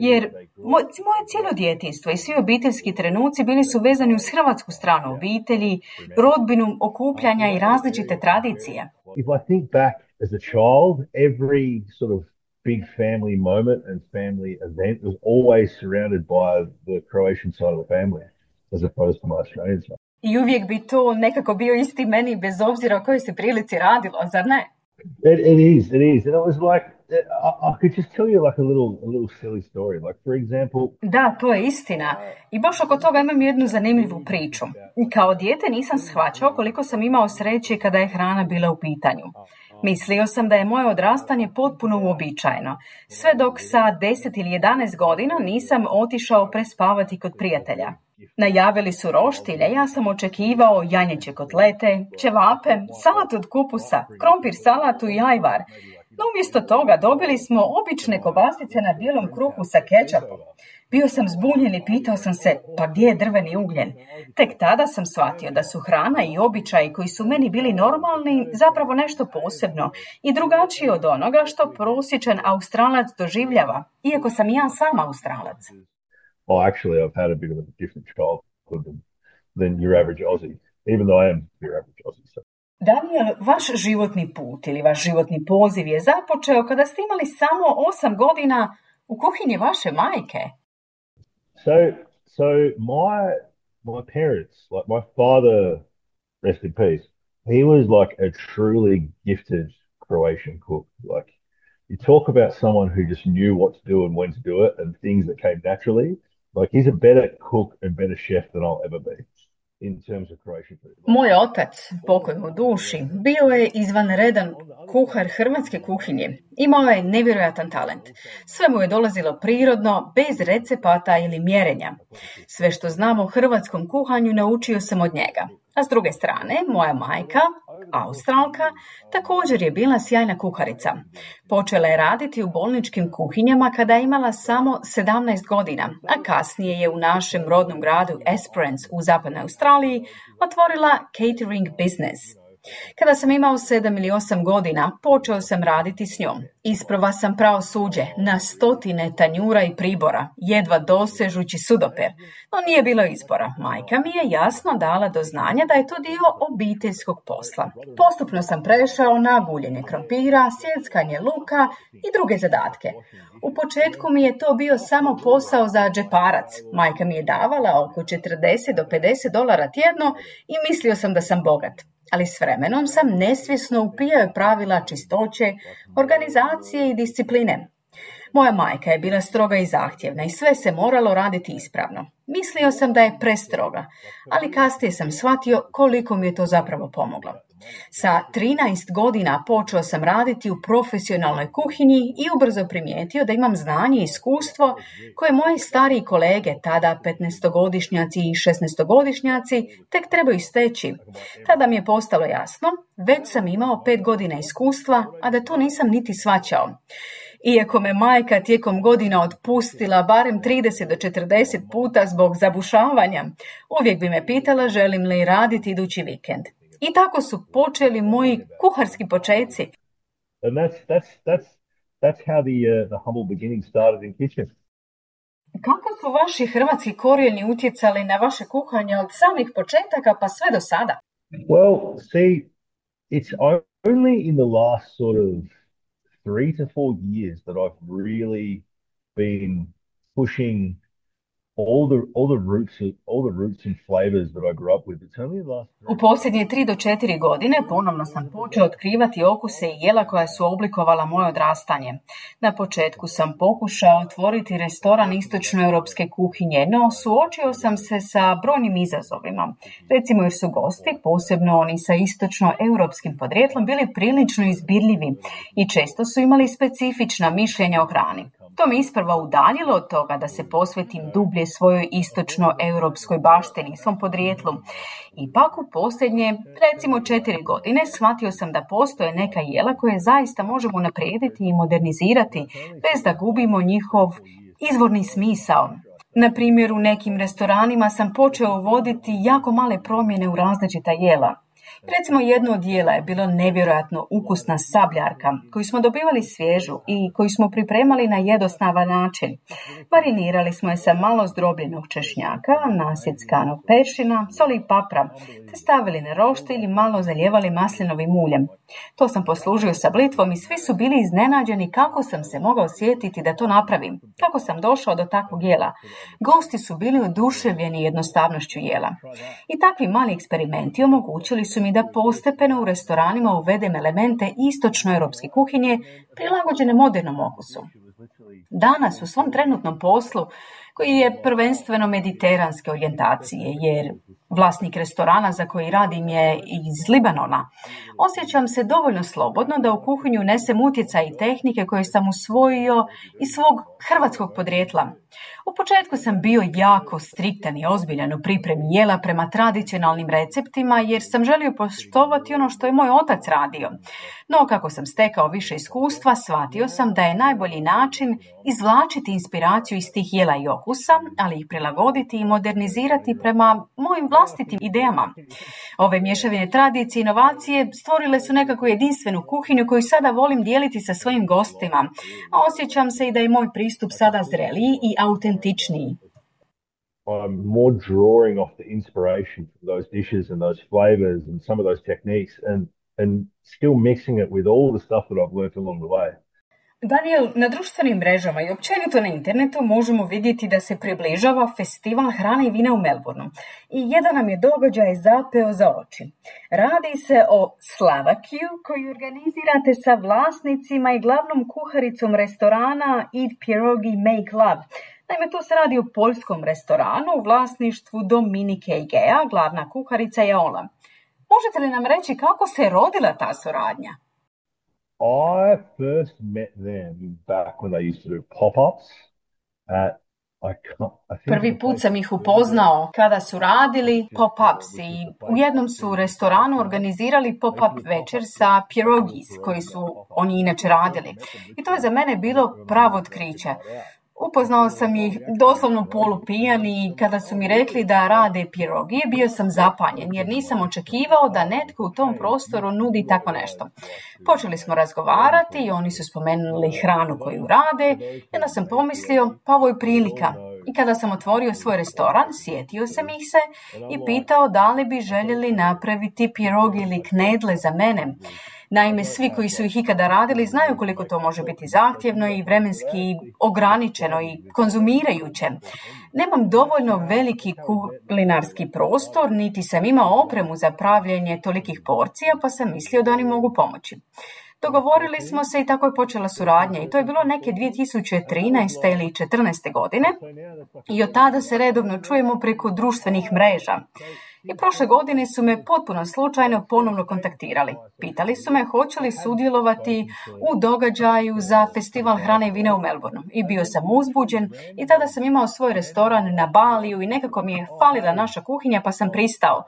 jer moj, moje cijelo djetinjstvo i svi obiteljski trenuci bili su vezani uz hrvatsku stranu obitelji, rodbinu, okupljanja i različite tradicije. If I think back as a child, every sort of big family moment and family event was always surrounded by the Croatian side of the family, as opposed to my Australian side. I uvijek bi to nekako bio isti meni bez obzira o kojoj se prilici radilo, zar ne? It, it is, it is. And it was like, I, I could just tell you like a little, a little silly story. Like, for example... Da, to je istina. I baš oko toga imam jednu zanimljivu priču. Kao dijete nisam shvaćao koliko sam imao sreće kada je hrana bila u pitanju. Mislio sam da je moje odrastanje potpuno uobičajeno, sve dok sa deset ili jedanaest godina nisam otišao prespavati kod prijatelja. Najavili su roštilje, ja sam očekivao janjeće kotlete, ćevape, salat od kupusa, krompir salatu i ajvar. No umjesto toga dobili smo obične kobasice na bijelom kruhu sa kečapom. Bio sam zbunjen i pitao sam se, pa gdje je drveni ugljen? Tek tada sam shvatio da su hrana i običaji koji su meni bili normalni zapravo nešto posebno i drugačije od onoga što prosječan Australac doživljava, iako sam ja sam Australac. Oh, actually, I've had a bit of a different childhood than, than your average Aussie, even though I am your average Aussie. So. Daniel, vaš životni put ili vaš životni poziv je započeo kada ste imali samo osam godina u kuhinji vaše majke. So, so my my parents, like my father, rest in peace, he was like a truly gifted Croatian cook. Like, you talk about someone who just knew what to do and when to do it and things that came naturally. Like, he's a better cook and better chef than I'll ever be in terms of Croatian food. Moj otac, pokoj mu duši, bio je izvanredan kuhar hrvatske kuhinje. Imao je nevjerojatan talent. Sve mu je dolazilo prirodno, bez recepata ili mjerenja. Sve što znam o hrvatskom kuhanju naučio sam od njega. A s druge strane, moja majka, Australka, također je bila sjajna kuharica. Počela je raditi u bolničkim kuhinjama kada je imala samo sedamnaest godina, a kasnije je u našem rodnom gradu Esperance u zapadnoj Australiji otvorila catering business. Kada sam imao sedam ili osam godina, počeo sam raditi s njom. Isprva sam prao suđe na stotine tanjura i pribora, jedva dosežući sudoper. No nije bilo izbora. Majka mi je jasno dala do znanja da je to dio obiteljskog posla. Postupno sam prešao na guljenje krompira, sjeckanje luka i druge zadatke. U početku mi je to bio samo posao za džeparac. Majka mi je davala oko četrdeset do pedeset dolara tjedno i mislio sam da sam bogat. Ali s vremenom sam nesvjesno upijao pravila čistoće, organizacije i discipline. Moja majka je bila stroga i zahtjevna i sve se moralo raditi ispravno. Mislio sam da je prestroga, ali kasnije sam shvatio koliko mi je to zapravo pomoglo. Sa trinaest godina počeo sam raditi u profesionalnoj kuhinji i ubrzo primijetio da imam znanje i iskustvo koje moji stariji kolege, tada petnaestogodišnjaci i šesnaestogodišnjaci, tek trebaju steći. Tada mi je postalo jasno, već sam imao pet godina iskustva, a da to nisam niti shvaćao. Iako me majka tijekom godina otpustila barem trideset do četrdeset puta zbog zabušavanja, uvijek bi me pitala želim li raditi idući vikend. I tako su počeli moji kuharski počeci. And that's that's that's that's how the uh, the humble beginning started in kitchen. Kako su vaši hrvatski korijeni utjecali na vaše kuhanje od samih početaka pa sve do sada? Well, see, it's only in the last sort of three to four years that I've really been pushing all the all the roots all the roots and flavors that I grew up with. It's only the last U posljednje tri do četiri godine ponovno sam počeo otkrivati okuse i jela koja su oblikovala moje odrastanje. Na početku sam pokušao otvoriti restoran istočnoeuropske kuhinje, no suočio sam se sa brojnim izazovima. Recimo jer su gosti, posebno oni sa istočnoeuropskim podrijetlom, bili prilično izbirljivi i često su imali specifična mišljenja o hrani. To me isprva udaljilo od toga da se posvetim dublje svojoj istočnoeuropskoj baštini, svom podrijetlu. Ipak u posljednje, recimo četiri godine, shvatio sam da postoje neka jela koje zaista možemo unaprijediti i modernizirati bez da gubimo njihov izvorni smisao. Na primjer, u nekim restoranima sam počeo uvoditi jako male promjene u različita jela. Recimo jedno od jela je bilo nevjerojatno ukusna sabljarka koju smo dobivali svježu i koju smo pripremali na jednostavan način. Marinirali smo je sa malo zdrobljenog češnjaka, nasjeckanog peršina, soli i papra, te stavili na roštilj ili malo zalijevali maslinovim uljem. To sam poslužio sa blitvom i svi su bili iznenađeni kako sam se mogao sjetiti da to napravim, kako sam došao do takvog jela. Gosti su bili oduševljeni jednostavnošću jela. I takvi mali eksperimenti omogućili su mi da postepeno u restoranima uvedem elemente istočnoeuropske kuhinje prilagođene modernom okusu. Danas u svom trenutnom poslu, koji je prvenstveno mediteranske orijentacije, jer vlasnik restorana za koji radim je iz Libanona, osjećam se dovoljno slobodno da u kuhinju unesem utjecaj i tehnike koje sam usvojio iz svog hrvatskog podrijetla. U početku sam bio jako striktan i ozbiljan u pripremi jela prema tradicionalnim receptima jer sam želio poštovati ono što je moj otac radio. No kako sam stekao više iskustva, shvatio sam da je najbolji način izvlačiti inspiraciju iz tih jela i okusa, ali ih prilagoditi i modernizirati prema mojim vlastitim idejama. Ove mješavine tradicije i inovacije stvorile su nekako jedinstvenu kuhinju koju sada volim dijeliti sa svojim gostima, a osjećam se i da je moj pristup sada zreliji i autentičniji. I'm more drawing off the inspiration from those dishes and those flavors and some of those techniques and and still mixing it with all the stuff that I've learned along the way. Daniel, na društvenim mrežama i općenito na internetu možemo vidjeti da se približava festival hrane i vina u Melbourneu. I jedan nam je događaj zapeo za oči. Radi se o Slavakiju koju organizirate sa vlasnicima i glavnom kuharicom restorana Eat Pierogi Make Love. Naime, tu se radi o poljskom restoranu u vlasništvu Dominike Igea, glavna kuharica je Ola. Možete li nam reći kako se rodila ta suradnja? I first met them back when they used to do pop-ups at I can't, I think Prvi put sam ih upoznao kada su radili pop-ups i u jednom su restoranu organizirali pop-up večer sa pierogis koji su oni inače radili. I to je za mene bilo pravo otkriće. Upoznao sam ih doslovno polupijan i kada su mi rekli da rade pirogije, bio sam zapanjen jer nisam očekivao da netko u tom prostoru nudi tako nešto. Počeli smo razgovarati i oni su spomenuli hranu koju rade i onda sam pomislio pa ovo je prilika. I kada sam otvorio svoj restoran, sjetio sam ih se i pitao da li bi željeli napraviti pirogi ili knedle za mene. Naime, svi koji su ih ikada radili znaju koliko to može biti zahtjevno i vremenski ograničeno i konzumirajuće. Nemam dovoljno veliki kulinarski prostor, niti sam imao opremu za pravljenje tolikih porcija, pa sam mislio da oni mogu pomoći. Dogovorili smo se i tako je počela suradnja i to je bilo neke dvije tisuće trinaeste ili četrnaeste godine i od tada se redovno čujemo preko društvenih mreža. I prošle godine su me potpuno slučajno ponovno kontaktirali. Pitali su me hoće li sudjelovati u događaju za festival hrane i vina u Melbourneu. I bio sam uzbuđen i tada sam imao svoj restoran na Baliju i nekako mi je falila naša kuhinja pa sam pristao.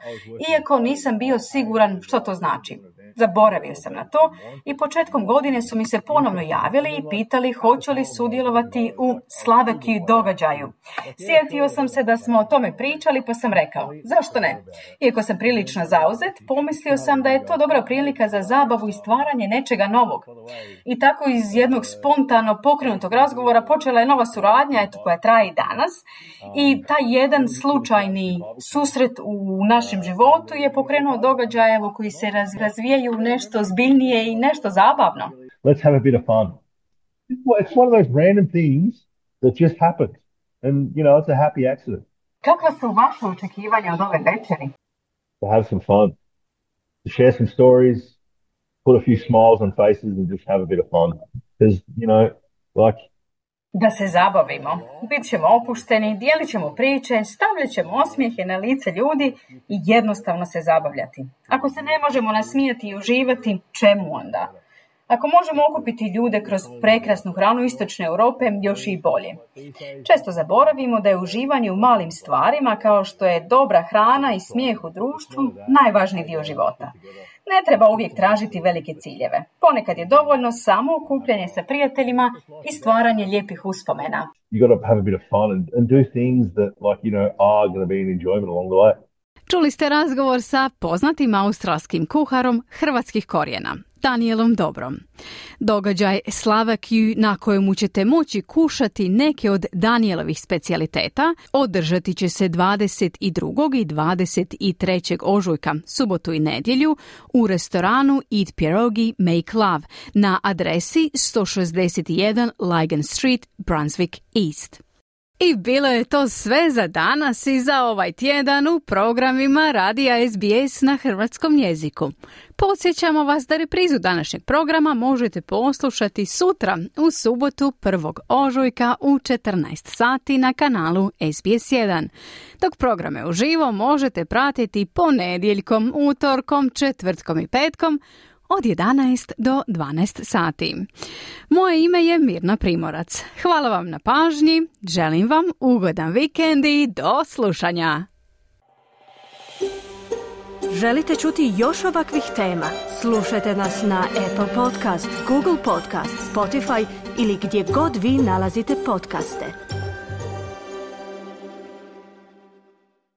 Iako nisam bio siguran što to znači. Zaboravio sam na to i početkom godine su mi se ponovno javili i pitali hoće li sudjelovati u Slavaki događaju. Sjetio sam se da smo o tome pričali pa sam rekao, zašto ne? Iako sam prilično zauzet, pomislio sam da je to dobra prilika za zabavu i stvaranje nečega novog. I tako iz jednog spontano pokrenutog razgovora počela je nova suradnja eto, koja traje i danas. I taj jedan slučajni susret u našem životu je pokrenuo događaje koji se razvijaju nešto zbiljnije i nešto zabavno. Let's have a bit of fun. It's one of those random things that just happened. And, you know, it's a happy accident. Kakva su vaše očekivanja od ove večeri? To have some fun. To share some stories, put a few smiles on faces and just have a bit of fun. Because, you know, like... Da se zabavimo. Bit ćemo opušteni, dijelit ćemo priče, stavljat ćemo osmijehe na lice ljudi i jednostavno se zabavljati. Ako se ne možemo nasmijati i uživati, čemu onda? Ako možemo okupiti ljude kroz prekrasnu hranu istočne Europe, još i bolje. Često zaboravimo da je uživanje u malim stvarima, kao što je dobra hrana i smijeh u društvu, najvažniji dio života. Ne treba uvijek tražiti velike ciljeve. Ponekad je dovoljno samo okupljanje sa prijateljima i stvaranje lijepih uspomena. You got to have a bit of fun and, and do things that, like, you know, are going to be an enjoyment along the way. Čuli ste razgovor sa poznatim australskim kuharom hrvatskih korijena, Danielom Dobrom. Događaj Slavakiju na kojemu ćete moći kušati neke od Danielovih specijaliteta održati će se dvadeset drugog i dvadeset trećeg ožujka, subotu i nedjelju, u restoranu Eat Pierogi Make Love na adresi sto šezdeset jedan Lygon Street, Brunswick East. I bilo je to sve za danas i za ovaj tjedan u programima Radija S B S na hrvatskom jeziku. Podsjećamo vas da reprizu današnjeg programa možete poslušati sutra u subotu prvog ožujka u četrnaest sati na kanalu S B S jedan. Dok programe uživo možete pratiti ponedjeljkom, utorkom, četvrtkom i petkom od jedanaest do dvanaest sati. Moje ime je Mirna Primorac. Hvala vam na pažnji, želim vam ugodan vikend i do slušanja. Želite čuti još ovakvih tema? Slušajte nas na Apple Podcast, Google Podcast, Spotify ili gdje god vi nalazite podcaste.